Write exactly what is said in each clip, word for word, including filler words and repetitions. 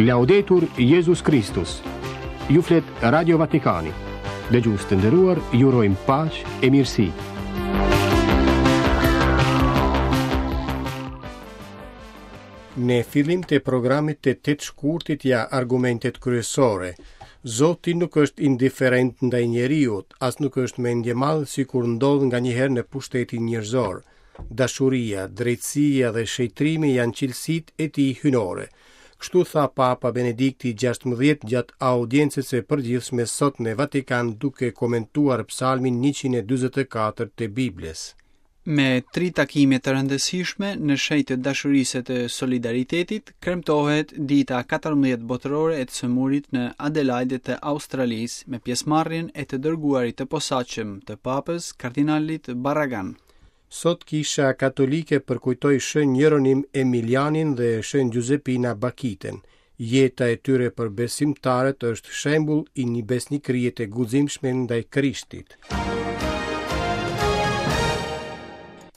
Laudetur Jezus Kristus. Ju flet Radio Vatikani. Dëgjues të nderuar, ju urojmë paqe e mirësi. Në fillim të programit të tetë shkurtit ja argumentet kryesore. Zoti nuk është indiferent ndaj njeriut, as nuk është mendjemadh sikur ndodh nganjëherë në pushtetin njerëzor. Dashuria, drejtësia dhe shejtrimi janë cilësitë e tij hynore. Kështu tha Papa Benedikti gjashtëmbëdhjetë gjatë audiencës së përgjithshme sot në Vatikan duke komentuar psalmin njëqind e dyzet e katër të Biblës. Me tri takime të rëndësishme në shenjë të dashurisë të solidaritetit, kremtohet dita katërmbëdhjetë botërore e të sëmurit në Adelaide të Australisë me pjesëmarrjen e të dërguarit të posaçëm të Papës, kardinalit Barragan. Sot Kisha Katolike përkujtoi Shën Jeronim Emilianin dhe Shën Giuseppina Bakiten. Jeta e tyre për besimtarët është shembull i një besnikërie të guximshme ndaj Krishtit.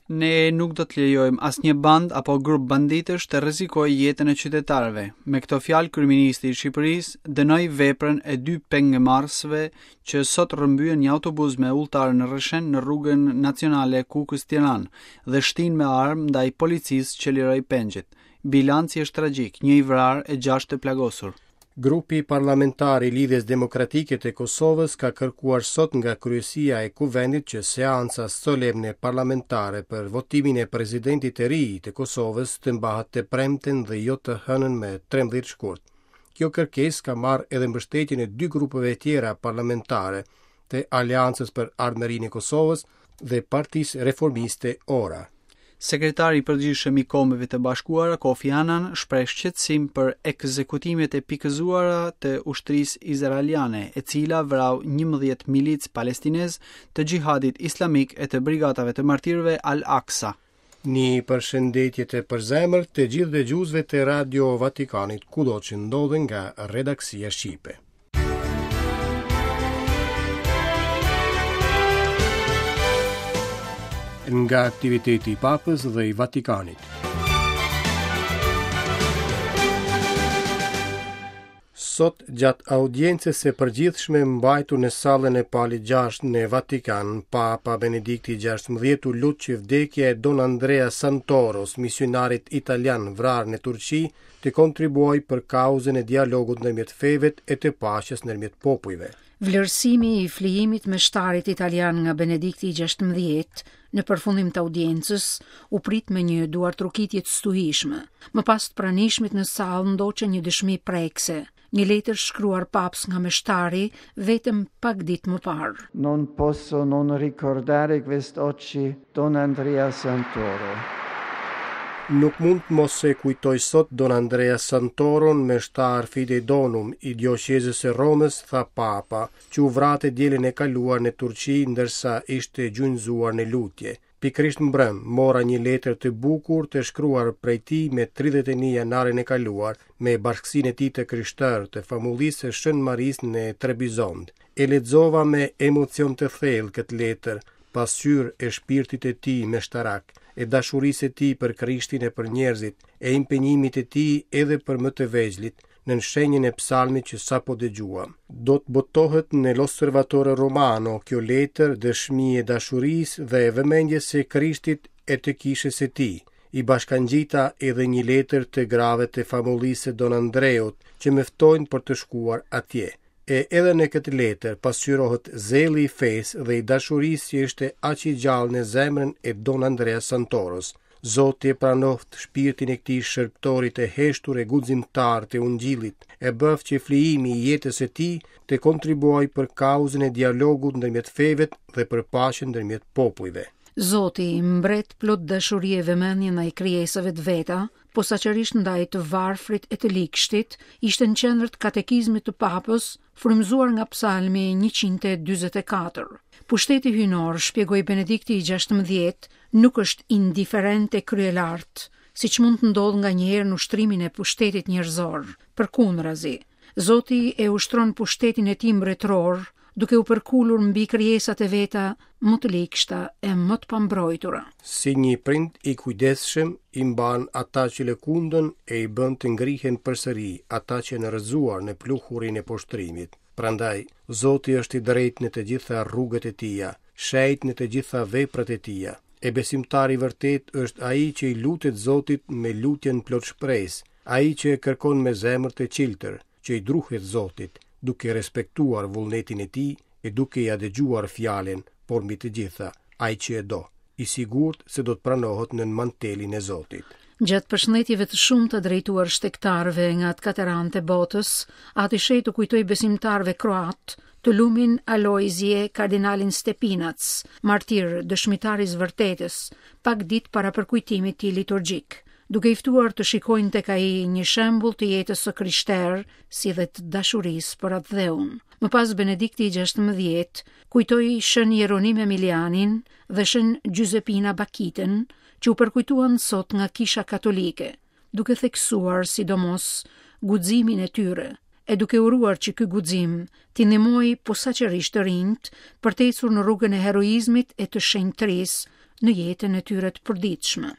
Ne nuk do të lejojmë asnjë band apo grup banditësh të rrezikojë jetën e qytetarëve. Me këto fjalë kryeministri i Shqipërisë dënoi veprën e dy pengmarrësve që sot rrëmbyen një autobus me ulltar në Rrëshen në rrugën nacionale Kukës-Tiranë dhe shtin me armë ndaj policisë që liroi pengjet. Bilanci është tragjik, një i vrarë e gjashtë të plagosur. Grupi parlamentar i Lidhjes Demokratike të Kosovës ka kërkuar sot nga kryesia e Kuvendit që seanca solemne parlamentare për votimin e presidentit të ri të Kosovës të mbahet të premten dhe jo të hënën me trembëdhjetë shkurt. Kjo kërkesë ka marrë edhe mbështetjen e dy grupeve tjera parlamentare të Aleancës për Ardhmërinë e Kosovës dhe Partisë Reformiste Ora. Sekretari i Përgjithshëm i Kombeve të Bashkuara, Kofi Annan, shpreh shqetësim për ekzekutimet e pikëzuara të ushtrisë izraeliane, e cila vrau njëmbëdhjetë milicë palestinez të xhihadit islamik e të brigadave të martirëve Al-Aqsa. Një përshëndetje të përzemërt të gjithë dëgjuesve të Radio Vatikanit, kudo që ndodhen nga redaksia shqipe. Nga aktiviteti i Papës dhe i Vatikanit. Sot gjatë audiencës së përgjithshme mbajtur në sallën e Palit gjashtë në Vatikan, Papa Benedikti gjashtëmbëdhjetë u lut që vdekja e Don Andrea Santoros, misionarit italian vrarë në Turqi, të kontribuojë për kauzën e dialogut ndërmjet fevet e të paqes ndërmjet popujve. Vlerësimi i flijimit me shtarit italian nga Benedikti gjashtëmbëdhjetë në përfundim të audiencës u prit me një duartrokitje të stuhishme. Më pas të pranishmit në sallë ndoqën një dëshmi prekse, një letër shkruar paps nga meshtari vetëm pak ditë më parë. Non posso non ricordare quest'oggi Don Andrea Santoro. Nuk mund të mos e kujtoj sot Don Andrea Santoron, meshtar Fidei Donum i dioqezës së Romës, tha Papa, që u vra të dielën e kaluar në Turqi ndërsa ishte gjunjëzuar në lutje. Pikërisht mbrëm, mora një letër të bukur të shkruar prej tij me tridhjetë e një janarin e kaluar, me bashkësinë e tij të krishterë të famullisë së Shën Marisë në Trebizond. E lexova me emocion të thellë këtë letër, pasqyrë e shpirtit të tij meshtarak, e dashurisë së tij për Krishtin e për njerëzit, e impenjimit të tij edhe për më të vegjlit, nën shenjën e psalmit që sapo dëgjuam. Do të botohet në L'Osservatore Romano kjo letër dëshmi e dashurisë dhe e vëmendjes së Krishtit e të kishës së tij. I bashkangjita edhe një letër të grave të famullisë së Don Andreut, që më ftojnë për të shkuar atje. E edhe në këtë letër pasqyrohet zelli i fesë dhe i dashurisë që ishte aq i gjallë në zemrën e Don Andrea Santoros. Zoti e pranoft shpirtin e këtij shërbëtori të heshtur e guximtar të Ungjillit, e bëft që flijimi i jetës së tij të kontribuojë për kauzën e dialogut ndërmjet fevet dhe për paqen ndërmjet popujve. Zoti, mbret plot dashuri e vëmendje ndaj krijesave të veta, posaçërisht ndaj të varfrit e të ligshtit, ishte në qendër të katekizmit të Papës, frymëzuar nga Psalmi njëqind e dyzet e katër. Pushteti hyjnor, shpjegoi Benedikti i gjashtëmbëdhjetë, nuk është indiferent e kryelart, siç mund të ndodhë nganjëherë në ushtrimin e pushtetit njerëzor. Përkundrazi, Zoti e ushtron pushtetin e tij mbretëror, duke u përkulur mbi krijesat e veta më të ligshta e më të pambrojtura. Si një prind i kujdesshëm i mban ata që lëkundën e i bën të ngrihen përsëri ata që janë rrëzuar në pluhurin e poshtrimit. Prandaj, Zoti është i drejtë në të gjitha rrugët e tija, shenjt në të gjitha veprat e tija. E besimtari i vërtet është ai që i lutet Zotit me lutjen plot shpresë, ai që e kërkon me zemër të çiltër, që i druhet Zotit, duke respektuar vullnetin e tij e duke ia dëgjuar fjalën, por mbi të gjitha, ai që e do, i sigurt se do të pranohet nën mantelin e Zotit. Gjatë përshëndetjeve të shumta drejtuar shtegtarëve nga të katër anët e botës, Ati Shenjt u kujtoi besimtarëve kroat të lumin Alojzije kardinalin Stepinac, martir dëshmitar i së vërtetës, pak ditë para përkujtimit të liturgjik, duke i ftuar të shikojnë tek ai një shembull të jetës së krishterë, si dhe të dashurisë për atdheun. Më pas Benedikti i gjashtëmbëdhjetë kujtoi Shën Jeronim Emilianin dhe Shën Giuseppina Bakitën, që u përkujtuan sot nga Kisha Katolike, duke theksuar sidomos guximin e tyre, e duke uruar që ky guxim t'i ndihmojë posaçërisht të rinjt për të ecur në rrugën e heroizmit e të shenjtërisë në jetën e tyre të përditshme.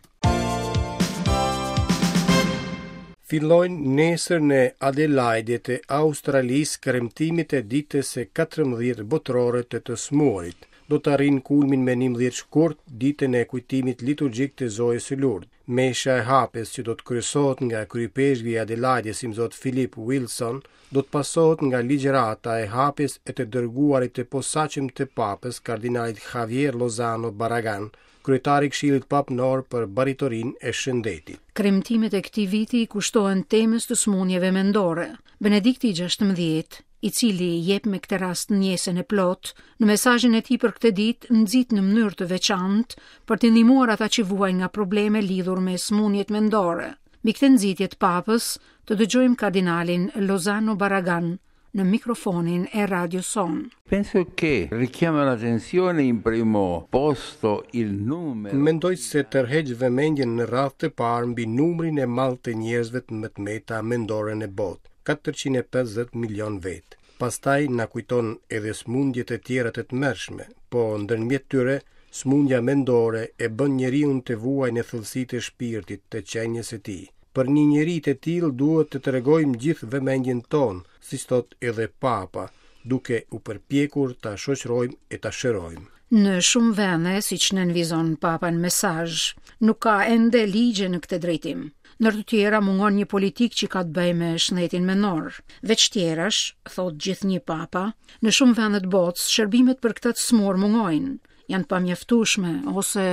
Fillojnë nesër në Adelaide të Australisë kremtimet e ditës së katërmbëdhjetë botërore të të smurit. Do të arrijnë kulmin me njëmbëdhjetë shkurt, ditën e kujtimit liturgjik të Zojës së Lourdes. Mesha e hapjes që do të kryesohet nga kryepeshkvi i Adelaides, imzot Philip Wilson, do të pasohet nga ligjërata e hapjes e të dërguarit të posaçëm të papës, kardinalit Javier Lozano Barragan, kryetari i Këshillit Papnor për Baritorin e Shëndetit. Kremtimet e këtij viti i kushtohen temës të sëmundjeve mendore. Benedikti i gjashtëmbëdhjetë, i cili jep me këtë rast ndjesën e plotë, në mesazhin e tij për këtë ditë nxit në mënyrë të veçantë për të ndihmuar ata që vuajnë nga probleme lidhur me sëmundjet mendore. Mbi këtë nxitje të papës, të dëgjojmë kardinalin Lozano Barragan në mikrofonin e Radio Son. Penso che richiama l'attenzione in primo posto il numero. Mendoj se tërheq vëmendjen në radhë të parë mbi numrin e madh të njerëzve me të meta mendore në botë, katërqind e pesëdhjetë milion vetë. Pastaj na kujton edhe sëmundjet e tjera të tmerrshme, po ndërmjet tyre sëmundja mendore e bën njeriun të vuajë në thellësitë e shpirtit të qenies së tij. Për një njeri të tillë duhet të tregojmë gjithë vëmendjen tonë, siç thot edhe Papa, duke u përpjekur ta shoqërojmë e ta shërojmë. Në shumë vende, siç nënvizon Papa në mesazh, nuk ka ende ligje në këtë drejtim. Ndër të tjera mungon një politikë që ka të bëjë me shëndetin mendor. Veç tjerash, thot gjithnjë Papa, në shumë vende të botës shërbimet për këtë të smur mungojnë, janë pamjaftueshme ose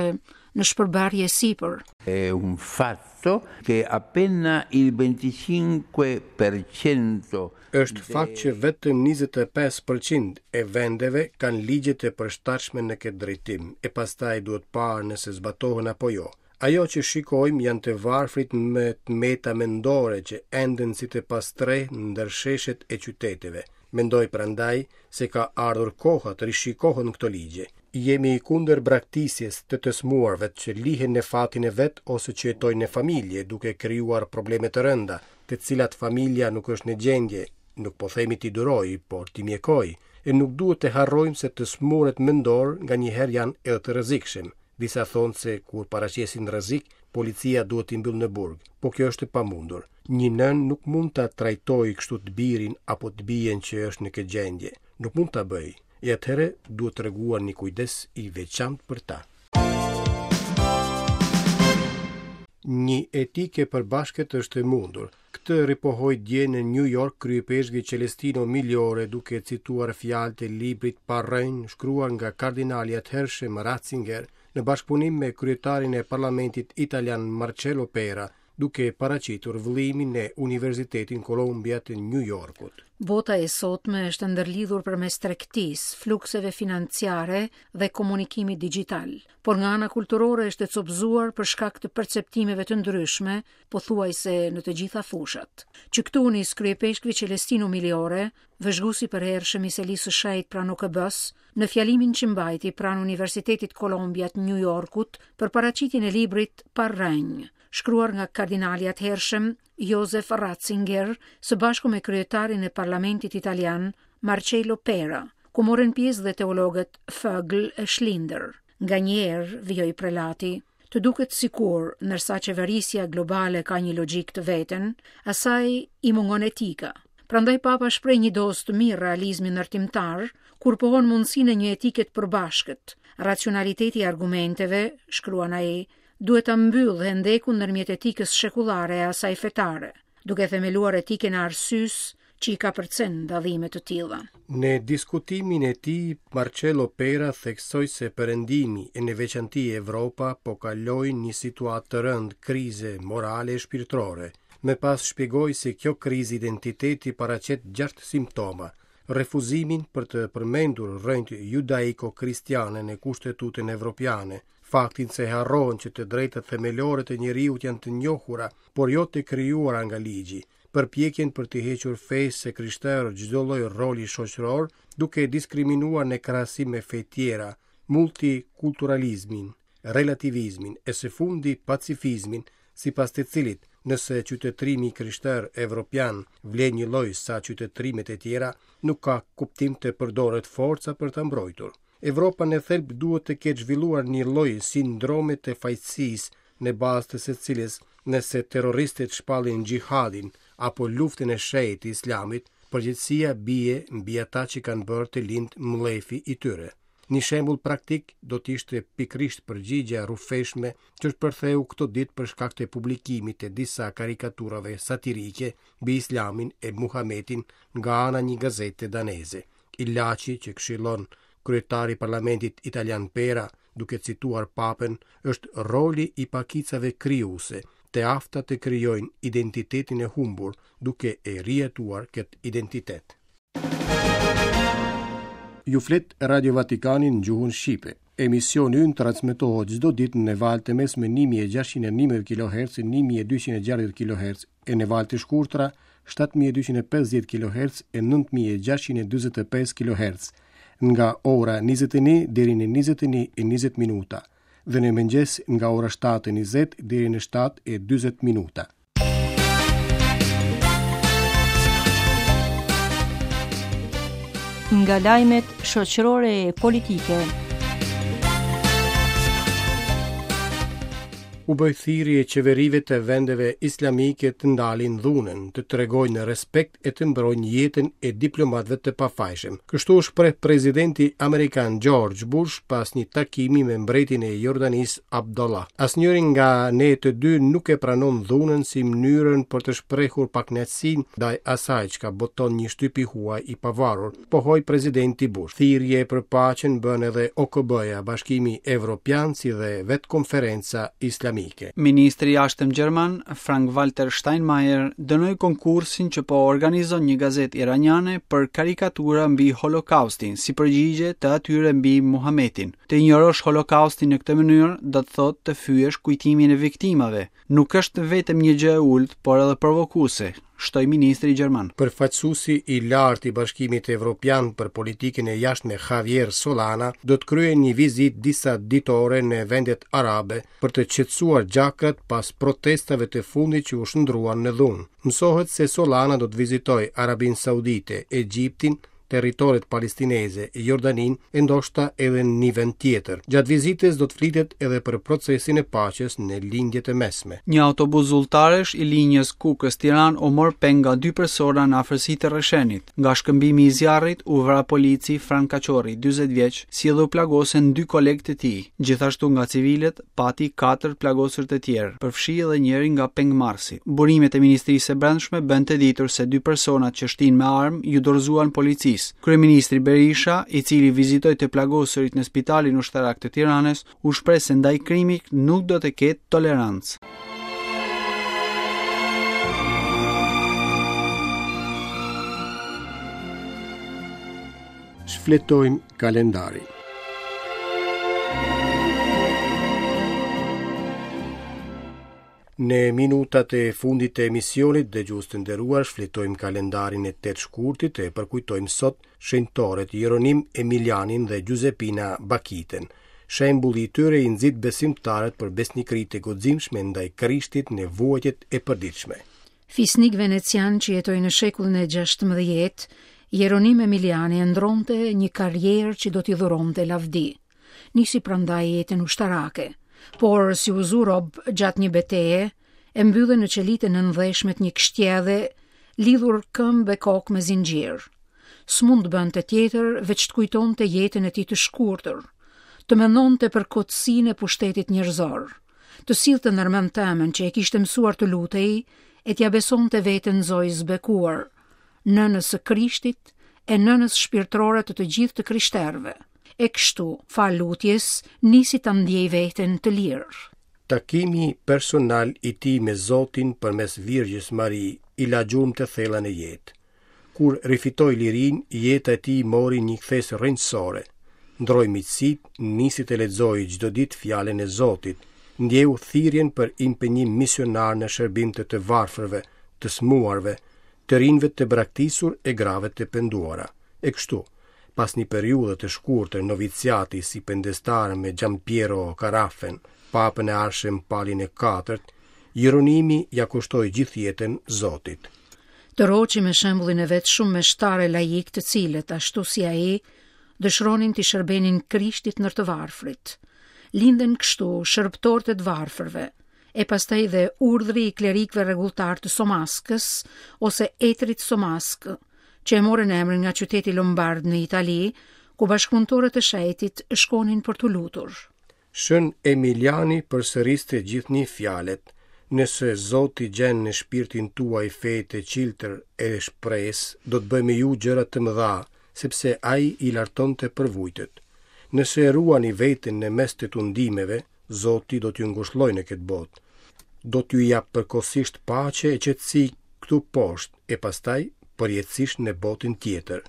në shpërbërje sipër. È un fatto che appena il venticinque per cento Është fakt që vetëm njëzet e pesë përqind e vendeve kanë ligje të përshtatshme në këtë drejtim, e pastaj duhet parë nëse zbatohen apo jo. Ajo që shikojmë janë të varfrit me të meta mendore që enden si të pastreh ndër sheshet e qyteteve. Mendoj prandaj se ka ardhur koha të rishikohen këto ligje. Jemi kundër braktisjes të të smuarve që lihen në fatin e vet ose që jetojnë në familje, duke krijuar probleme të rënda, të cilat familja nuk është në gjendje, nuk po themi t'i duroj, por t'i mjekoj, e nuk duhet të harrojmë se të smuret mendor nganjëherë janë edhe të rrezikshëm. Disa thonë se kur paraqesin rrezik, policia duhet t'i mbyllë në burg, po kjo është e pamundur. Një nënë nuk mund ta trajtojë kështu të birin apo të bijën që është në këtë gjendje. Nuk mund ta bëjë. E atëherë duhet treguar një kujdes i veçantë për ta. Një etike përbashkët është e mundur. Këtë ripohoi dje në New York kryepeshkvi Celestino Migliore duke cituar fjalët e librit Pa rrënjë shkruar nga kardinali atëhershëm Ratzinger në bashkëpunim me kryetarin e parlamentit italian Marcello Pera, duke paraqitur vëllimin në Universitetin Columbia të New Yorkut. Bota e sotme është ndërlidhur përmes tregtisë, flukseve financiare dhe komunikimit digital, por nga ana kulturore është e copëzuar për shkak të perceptimeve të ndryshme, pothuajse në të gjitha fushat. Që këtu nis kryepeshkvi Celestino Migliore, vëzhguesi përhershëm i selisë së shenjtë pranë O K B-s, në fjalimin që mbajti pranë Universitetit Columbia të New Yorkut për paraqitjen e librit Pa rrënjë, shkruar nga kardinali atëhershëm Josef Ratzinger së bashku me kryetarin e Parlamentit Italian Marcello Pera, ku morën pjesë dhe teologët Vögel e Schlinder. Nganjëherë, vijoi prelati, të duket sikur, ndërsa qeverisja globale ka një logjikë të veten, asaj i mungon etika. Prandaj Papa shpreh një dozë të mirë realizmi ndërtimtar, kur pohon mundësinë e një etike të përbashkët. Racionaliteti i argumenteve, shkruan ai, duhet ta mbyllë hendekun ndërmjet etikës shekullare e asaj fetare, duke themeluar etikën e arsyes që i kapërcen dallime të tilla. Në diskutimin e tij, Marcello Pera theksoi se Perëndimi, e në veçanti Evropa, po kalojnë një situatë të rëndë krize morale e shpirtërore. Më pas shpjegoi se kjo krizë identiteti paraqet gjashtë simptoma: refuzimin për të përmendur rrënjët judaiko-kristiane në kushtetutën evropiane, faktin se harrohen që të drejtat themelore të njeriut janë të njohura, por jo të krijuara nga ligji, përpjekjen për të hequr fesë së krishterë çdo lloj roli shoqëror, duke diskriminuar në krahasim me fe tjera, multikulturalizmin, relativizmin e së fundi pacifizmin, sipas të cilit, nëse qytetërimi i krishterë evropian vlen një lloj sa qytetërimet e tjera, nuk ka kuptim të përdoret forca për ta mbrojtur. Evropa në thelb duhet të ketë zhvilluar një lloj sindrome të fajësisë, në bazë të së cilës, nëse terroristët shpallin xhihadin apo luftën e shenjtë të Islamit, përgjegjësia bie mbi ata që kanë bërë të lind mllefi i tyre. Një shembull praktik do të ishte pikërisht përgjigjja e rrufeshme që shpërtheu këto ditë për shkak të publikimit të disa karikaturave satirike mbi Islamin e Muhametin nga ana një gazete daneze. Ilaçi që këshillon kryetari i parlamentit italian Pera, duke cituar Papën, është roli i pakicave krijuese, të afta të krijojnë identitetin e humbur, duke e rijetuar këtë identitet. Ju flet Radio Vatikani në gjuhën shqipe. Emisioni ynë transmetohet çdo ditë në valë të mesme një mijë e gjashtëqind e njëmbëdhjetë kilohertz, një mijë e dyqind e gjashtëdhjetë kilohertz e në valë të shkurtra shtatë mijë e dyqind e pesëdhjetë kilohertz e nëntë mijë e gjashtëqind e dyzet e pesë kilohertz, nga ora njëzet e një deri në njëzet e një e njëzet minuta dhe në mëngjes nga ora shtatë e njëzet deri në shtatë e dyzet minuta. Nga lajmet shoqërore e politike. U bëj thirrje qeverive të vendeve islamike të ndalin dhunën, të tregojnë respekt e të mbrojnë jetën e diplomatëve të pafajshëm. Kështu u shpreh presidenti amerikan George Bush pas një takimi me mbretin e Jordanisë Abdullah. Asnjëri nga ne të dy nuk e pranon dhunën si mënyrën për të shprehur pakënaqësinë ndaj asaj çka boton një shtyp i huaj i pavarur, pohoi presidenti Bush. Thirrje për paqen bën edhe O K B-ja, Bashkimi Evropian, si dhe vetë konferenca islamike. Ministri i Jashtëm gjerman Frank-Walter Steinmeier dënoi konkursin që po organizon një gazetë iraniane për karikatura mbi Holokaustin si përgjigje të atyre mbi Muhametin. Të injorosh Holokaustin në këtë mënyrë do të thotë të fyesh kujtimin e viktimave. Nuk është vetëm një gjë e ulët, por edhe provokuese, shtoi ministri gjerman. Përfaqësuesi i lartë i Bashkimit Evropian për politikën e jashtme Javier Solana do të kryejë një vizitë disa ditore në vendet arabe për të qetësuar gjakrat pas protestave të fundit që u shndruan në dhunë. Mësohet se Solana do të vizitojë Arabinë Saudite, Egjiptin, territoret palestineze, Jordanin e ndoshta edhe në një vend tjetër. Gjatë vizitës do të flitet edhe për procesin e paqes në lindje të mesme. Një autobus zyrtarësh i linjës Kukës-Tiranë u mor peng nga dy persona në afërsi të Rrëshenit. Nga shkëmbimi i zjarrit u vra polici Fran Kaçorri, dyzet vjeç, si edhe u plagosen dy kolegë të tij. Gjithashtu nga civilët pati katër plagosur të tjerë, përfshi edhe njëri nga pengmarrësit. Burimet e Ministrisë së Brendshme bën të ditur se dy personat që shtin me armë ju dorëzuan policisë. Kryeministri Berisha, i cili vizitoi të plagosurit në spitalin ushtarak të Tiranës, u shpreh se ndaj krimit nuk do të ketë tolerancë. Shfletojmë kalendarin. Në minutat e fundit të emisionit, dëgjues të nderuar, shfletojmë kalendarin e tetë shkurtit e përkujtojmë sot shenjtorët Jeronim Emilianin dhe Giuseppina Bakiten. Shembulli i tyre i nxit besimtarët për besnikëri të guximshme ndaj Krishtit në vuajtjet e përditshme. Fisnik venecian që jetoi në shekullin e gjashtëmbëdhjetë, Jeronim Emiliani ëndërronte një karrierë që do t'i dhuronte lavdi. Nisi prandaj jetën ushtarake, por si u zu rob gjatë një beteje, e mbyllën në qelitë e nëndheshme të një kështjelle, lidhur këmbë e kokë me zinxhir. S'mund të bënte tjetër veç të kujtonte jetën e tij të shkurtër, të mendonte për kotësinë e pushtetit njerëzor, të sillte ndërmend të ëmën që e kishte mësuar të lutej e t'ia besonte veten Zojës bekuar, nënës së Krishtit e nënës shpirtërore të të gjithë të krishterëve. E kështu, fal lutjes, nisi ta ndjej veten të lirë. Takimi personal i tij me Zotin përmes Virgjës Mari i la gjurmë të thella në jetë. Kur rifitoi lirinë, jeta e tij mori një kthesë rrënjësore. Ndroi miqësitë, nisi të lexojë çdo ditë fjalën e Zotit, ndjeu thirrjen për impenjim misionar në shërbim të të varfërve, të smuarve, të rinjve të braktisur e grave të penduara. E kështu, pas një periudhe të shkurtër noviciati si pendestar me Giampiero Carafen, papën e ardhshëm Palin e Katërt, Jeronimi ja kushtoi gjithë jetën Zotit. Tërhoqi me shembullin e vet shumë meshtarë laik të cilët, ashtu si ai, dëshironin t'i shërbenin Krishtit ndër të varfrit. Linden kështu shërbëtorët e të varfërve, e pastaj dhe urdhri i klerikëve rregulltar të Somaskës ose etrit Somaskë, që e morën emrin nga qyteti Lombard në Itali, ku bashkëpunëtorët e shenjtit shkonin për t'u lutur. Shën Emiliani përsëriste gjithnjë fjalët: Nëse Zoti gjen në shpirtin tuaj fe të çiltër e shpresë, do të bëjë me ju gjëra të mëdha, sepse ai i lartonte përvujtët. Nëse e ruani veten në mes të tundimeve, Zoti do t'ju ngushllojë në këtë botë. Do t'ju jap përkohësisht paqe e qetësi këtu poshtë e pastaj përjetësisht në botën tjetër.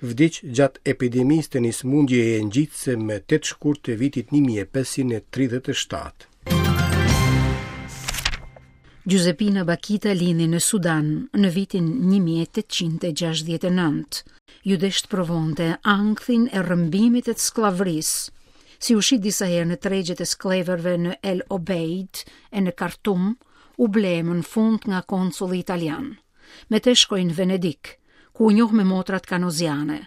Vdiq gjatë epidemisë të një sëmundjeje ngjitëse më tetë shkurt të vitit një mijë e pesëqind e tridhjetë e shtatë. Giuseppina Bakita lindi në Sudan në vitin një mijë e tetëqind e gjashtëdhjetë e nëntë. Ju desh të provonte ankthin e rrëmbimit e të skllavërisë. Si u shit disa herë në tregjet e skllevërve në El Obeid e në Khartoum, u ble më në fund nga konsulli italian. Me te shkoi në Venedik, ku u njoh me motrat kanoziane.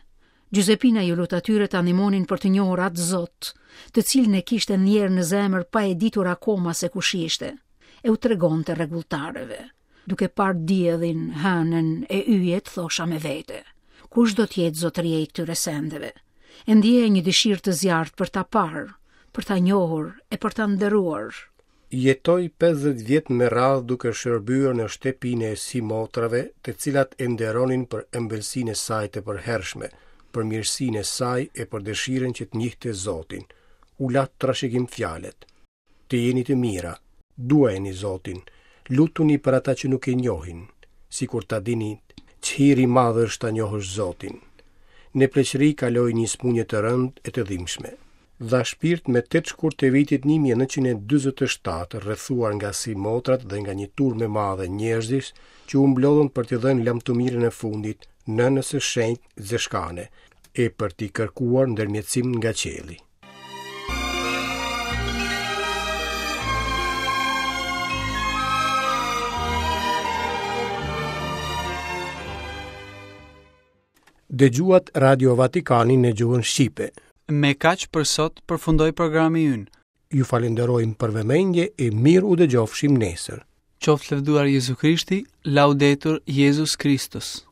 Giuseppina ju lut atyre ta ndihmonin për të njohur atë Zot, të cilin e kishte ndjerë në zemër pa e ditur akoma se kush ishte. E u tregonte rregulltarëve. Duke parë diellin, hënën e yjet, thosha me vete: kush do të jetë zotëria i këtyre sendeve? E ndjeja një dëshirë të zjarrt për ta parë, për ta njohur e për ta nderuar. Jetoi pesëdhjetë vjet me radhë duke shërbyer në shtëpinë e simotrave, të cilat e nderonin për ëmbëlsinë e saj të përhershme, për mirësinë e saj e për dëshirën që të njihte Zotin. U la trashëgim fjalët: Të jeni të mira, duajeni Zotin, lutuni për ata që nuk e njohin, sikur ta dini ç'hir i madh është ta njohësh Zotin. Në pleqëri kaloi një sëmundje të rëndë e të dhimbshme. Dha shpirt me tetë shkurt të vitit një mijë e nëntëqind e dyzet e shtatë, rrethuar nga simotrat dhe nga një turmë e madhe njerëzish që u mblodhën për t'i dhënë lamtumirën e fundit nënës së shenjtë Zeshkane e për t'i kërkuar ndërmjetësim nga qielli. Dëgjuat Radio Vatikanin në gjuhën shqipe. Me kaq për sot përfundoi programi ynë. Ju falenderojmë për vëmendje e mirë u dëgjofshim nesër. Qoftë lëvduar Jezu Krishti, laudetur Jezus Kristus.